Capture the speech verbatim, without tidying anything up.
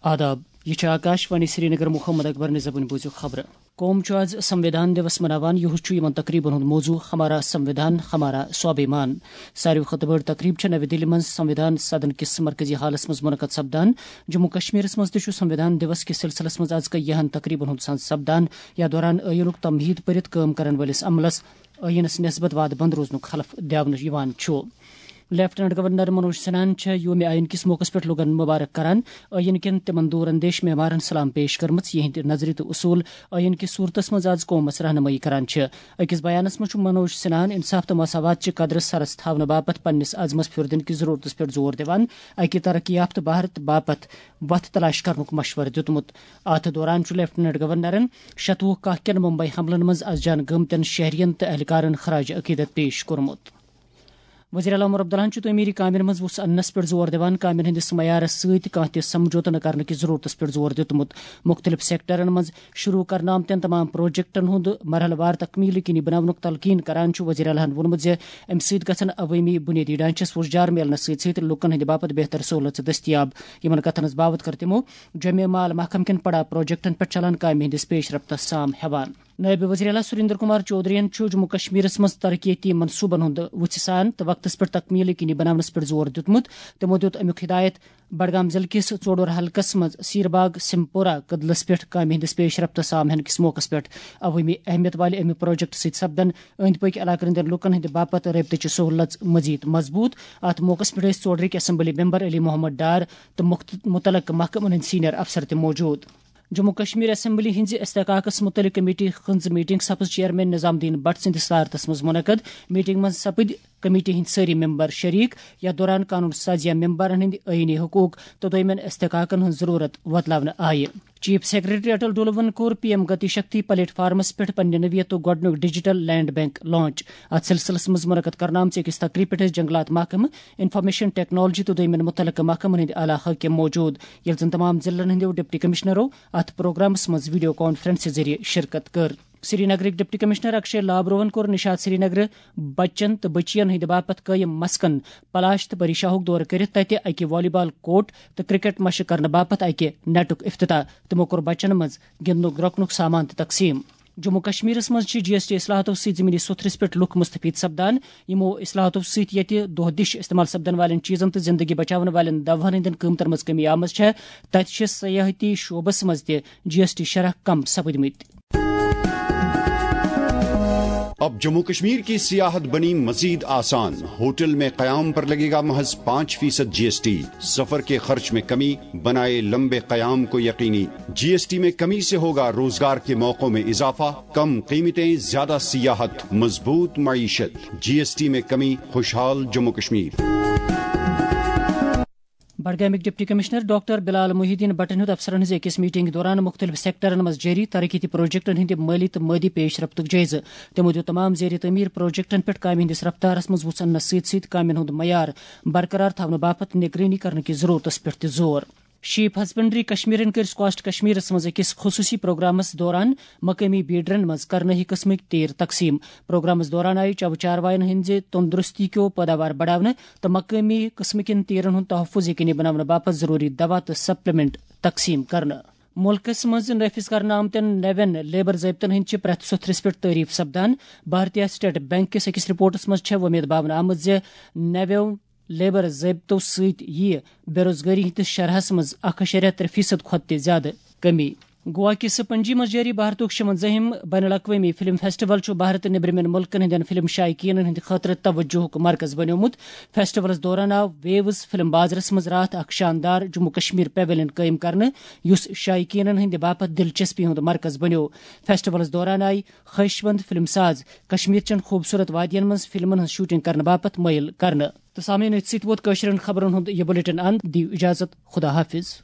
آداب، یہ چھِ آکاش وانی سرینگر۔ محمد اکبر نِظامٕنۍ بوٗزِو خبرٕ۔ قوم چھُ آز سنوِدھان دیوس مناوان۔ یِہُس چھُ یِمن تقریبن ہُنٛد موضوع ہمارا سنوِدھان، ہمارا سوابھیمان۔ ساروی کھۄتہٕ بٔڑ تقریب چھےٚ نوِ دِلہِ منٛز سنوِدھان سدن کِس مرکزی ہالس منٛز منعقد سپدان۔ جموں کشمیرس منٛز تہِ چھُ سنوِدھان دیوس کِس سلسلس منٛز از کیٚہن تقریبن ہُنٛد سنز سپدان۔ یتھ دوران ٲیٖنُک تمہیٖد پٔرِتھ کٲم کرن وٲلِس عملس ٲیٖنس نسبت وعدٕ بند روزنُک حلف دیاونہٕ یِوان چھُ۔ لیفٹیننٹ گورنر منوج سنہاہن چھےٚ یوم آئین کِس موقعس پٮ۪ٹھ لوٗکن مبارک کران۔ ٲیٖن کٮ۪ن تِمن دوٗر اندیش معمارن سلام پیش کٔرمٕژ، یِہنٛدۍ نظریہٕ تہٕ اصوٗل ٲیٖن کہِ صوٗرتس منٛز از قومس رہنمٲیی کران چھِ۔ أکِس بیانس منٛز چھُ منوج سنہاہن انصاف تہٕ مساوات چہِ قدرٕ سرس تھاونہٕ باپتھ پننِس عزمس پھیُر دِنہٕ کِس ضروٗرتس پٮ۪ٹھ زور دِوان اکہِ ترقی یافتہٕ بھارت باپتھ وتھ تلاش کرنُک مشورٕ دیُتمُت۔ اتھ دوران چھُ لیفٹیننٹ گورنرن شتوُہ کاہ کٮ۪ن ممبئی حملن منٛز از جان گٔمتٮ۪ن شہرین تہٕ اہلکارن خراج عقیدت پیش کوٚرمُت۔ وزیر اعلیٰ عمر عبداللہن چھُ تعمیری کامٮ۪ن منٛز وُژھ اننس پٮ۪ٹھ زور دِوان، کامٮ۪ن ہٕنٛدِس معیارس سۭتۍ کانٛہہ تہِ سمجھوتہٕ نہٕ کرنہٕ کِس ضروٗرتس پٮ۪ٹھ زور دیُتمُت۔ مُختٔلِف سیکٹرن منٛز شروٗع کرنہٕ آمتٮ۪ن تمام پروجیکٹن ہُنٛد مرحلہٕ وار تکمیل یقینی بناونُک تلقین کران چھُ وزیر اعلیٰ ہن ووٚنمُت زِ امہِ سۭتۍ گژھن عوٲمی بُنیٲدی ڈھانچس وُژھ جار میلنس سۭتۍ سۭتۍ لوٗکن ہٕنٛدِ باپتھ بہتر سہوٗلژٕ دٔستیاب۔ یِمن کتھن ہٕنٛز باوتھ کٔر تِمو جمع مال محکمہٕ کٮ۪ن پڑا پروجیکٹن پٮ۪ٹھ چلان کامہِ ہٕنٛدِس پیش رفتس سام ہٮ۪وان۔ نٲیِب وزیر اعلیٰ سُریندر کُمار چودھرین چھُ جموں کشمیرس منٛز ترقیتی منصوٗبن ہُنٛد وُژھِ سان تہٕ وقتس پٮ۪ٹھ تکمیل یقینی بناونس پٮ۪ٹھ زور دیُتمُت۔ تِمو دیُت امیُک ہدایت بڈگام ضلعہٕ کِس ژوڈور حلقس منٛز سیرباگ سمپورہ کدلس پٮ۪ٹھ کامہِ ہٕنٛدِس پیش رفتس سام ہینہٕ کِس موقعس پٮ۪ٹھ۔ عوٲمی اہمیت والہِ امہِ پروجیکٹ سۭتۍ سپدن أنٛدۍ پٔکۍ علاقن ہٕنٛدٮ۪ن لوٗکن ہٕنٛدِ باپتھ رٲبطٕچہِ سہوٗلژ مزید مضبوٗط۔ اتھ موقعس پٮ۪ٹھ ٲسۍ ژوڈرٕکۍ اسمبلی ممبر علی محمد ڈار تہٕ مُخت-، مُتعلقہٕ محکمن ہٕنٛدۍ سینئر افسر تہِ موجود۔ جموں کشمیر اسمبلی ہٕنٛزِ استحقاقس مُتعلق کمیٹی ہٕنٛز میٹنگ سپٕز چیئرمین نظام الدین بٹ سٕنٛدِس صدارتس منٛز منعقد۔ میٹنگ منٛز سپٕدۍ کمیٹی ہٕنٛدۍ سٲری ممبر شریک، یتھ دوران قانون سازیہ ممبرن ہٕنٛدۍ آئینی حقوق تہٕ دویمٮ۪ن استحقاقن ہٕنٛز ضروٗرت وۄتلاونہٕ آیہِ۔ چیف سیکرٹری اٹل ڈولون کوٚر P M Gati Shakti plate فارمس پٮ۪ٹھ پننہِ نوعیتُک گۄڈٕنیُک ڈیجیٹل لینڈ بینک لانچ۔ اتھ سلسلس منٛز منعقد کرنہٕ آمژِ أکِس تقریبہِ پٮ۪ٹھ ٲسۍ جنگلات محکمہٕ، انفارمیشن ٹیکنالوجی تہٕ دویمٮ۪ن مُتعلقہٕ محکمن ہٕنٛدۍ اعلیٰ حٲکم موجود، ییٚلہِ زن تمام ضلعن ہٕنٛدیو ڈپٹی کمشنرو اتھ پروگرامس منٛز ویڈیو کانفرنسہِ ذٔریعہٕ شرکت کٔر۔ سرینگرٕکۍ ڈپٹی کمشنر اکشے لابروہن کوٚر نشاط سرینگرٕ بچن تہٕ بچین ہٕنٛدِ باپتھ قٲیِم مسکن پلاش تہٕ پریشاہُک دورٕ کٔرِتھ تتہِ اکہِ والی بال کورٹ تہٕ کرکٹ مشق کرنہٕ باپتھ اکہِ نیٹُک افتتاح۔ تِمو کوٚر بچن منٛز گِنٛدنُک درۄکنُک سامان تہِ تقسیٖم۔ جموں کشمیرس منٛز چھِ جی ایس ٹی اصلاحاتو سۭتۍ زمینی سوٚتھرِس پٮ۪ٹھ لُکھ مستفید سپدان۔ یِمو اصلاحاتو سۭتۍ ییٚتہِ دۄہ دِش استعمال سپدن والٮ۪ن چیٖزن تہٕ زندگی بچاون والٮ۪ن دوہن ہٕنٛدٮ۪ن قۭمتن منٛز کمی آمٕژ چھےٚ، تتہِ چھِ سیاحتی شعبس منٛز تہِ جی ایس ٹی شرح کم سپٕدمٕتۍ۔ اب جموں کشمیر کی سیاحت بنی مزید آسان۔ ہوٹل میں قیام پر لگے گا محض پانچ فیصد جی ایس ٹی۔ سفر کے خرچ میں کمی، بنائے لمبے قیام کو یقینی۔ جی ایس ٹی میں کمی سے ہوگا روزگار کے موقعوں میں اضافہ، کم قیمتیں، زیادہ سیاحت، مضبوط معیشت۔ جی ایس ٹی میں کمی، خوشحال جموں کشمیر۔ بڈگامٕکۍ deputy commissioner doctor Bilal Mohiuddin بٹن ہیوٚت افسرن ہٕنٛز أکِس میٹنگ دوران مُختٔلِف سیکٹرن منٛز جٲری ترقیتی پروجیکٹن ہٕنٛدِ مٲلی تہٕ مٲدی پیش رفتُک جٲیزٕ۔ تِمو دِیُت تمام زیر تعمیٖر پروجیکٹن پٮ۪ٹھ کامہِ ہٕنٛدِس رفتارس منٛز وُژھ اننس سۭتۍ سۭتۍ کامٮ۪ن ہُنٛد معیار برقرار تھاونہٕ باپتھ نگرٲنی کرنہٕ کِس ضروٗرتس پٮ۪ٹھ تہِ زور۔ شیپ ہسبنڈری کشمیرن کٔرۍ سکاسٹ کشمیرس منٛز أکِس خصوٗصی پروگرامس دوران مقٲمی بیڈرن منٛز کرنٲہی قٕسمٕکۍ تیٖر تقسیٖم۔ پروگرامس دوران آیہِ چَوٕ چاروایَن ہٕنٛزِ تندرستی کیو پٲداوار بڑاونہٕ تہٕ مقٲمی قٕسمہٕ کٮ۪ن تیٖرن ہُنٛد تحفظ یقینی بناونہٕ باپتھ ضروٗری دوا تہٕ سپلیمنٹ تقسیٖم کرنہٕ۔ مُلکس منٛز نافذ کرنہٕ آمتٮ۪ن نوٮ۪ن لیبر ضٲبطن ہٕنٛدۍ چھِ پرٛٮ۪تھ سوٚتھرِس پٮ۪ٹھ تعریف سپدان۔ بھارتیہ اسٹیٹ بینک کِس أکِس رپورٹس منٛز چھےٚ وۄمید باونہٕ آمٕژ زِ نوٮ۪و لیبر ضٲبطو سۭتۍ یِیہِ بے روزگٲری ہٕنٛدِس شرحس منٛز اکھ اَشاریہ ترٛےٚ فیصد کھۄتہٕ تہِ زیادٕ کمی۔ گوا کِس پنجی منٛز جٲری بھارتُک شُوَنزٲہِم بین الاقوٲمی فلم فیسٹیول چھُ بھارت تہٕ نیٚبرِمٮ۪ن مُلکن ہٕنٛدٮ۪ن فلم شائقیٖنن ہٕنٛدِ خٲطرٕ توجہُک مرکز بنیومُت۔ فیسٹیولس دوران آو ویوز فلم بازرس منٛز راتھ اکھ شاندار جموں کشمیر پیویلین قٲیِم کرنہٕ، یُس شائقیٖنن ہٕنٛدِ باپتھ دلچسپی ہُنٛد مرکز بنیوو۔ فیسٹیولس دوران آیہِ خواہشمند فلم ساز کشمیر چٮ۪ن خوٗبصوٗرت وادین منٛز فلمن ہٕنٛز شوٹنگ کرنہٕ باپتھ مٲیِل کرنہٕ۔ تہٕ سامعیٖن، أتھۍ سۭتۍ ووت کٲشرٮ۪ن خبرن ہُنٛد یہِ بلیٹن اند۔ دِیِو اجازت، خدا حافظ۔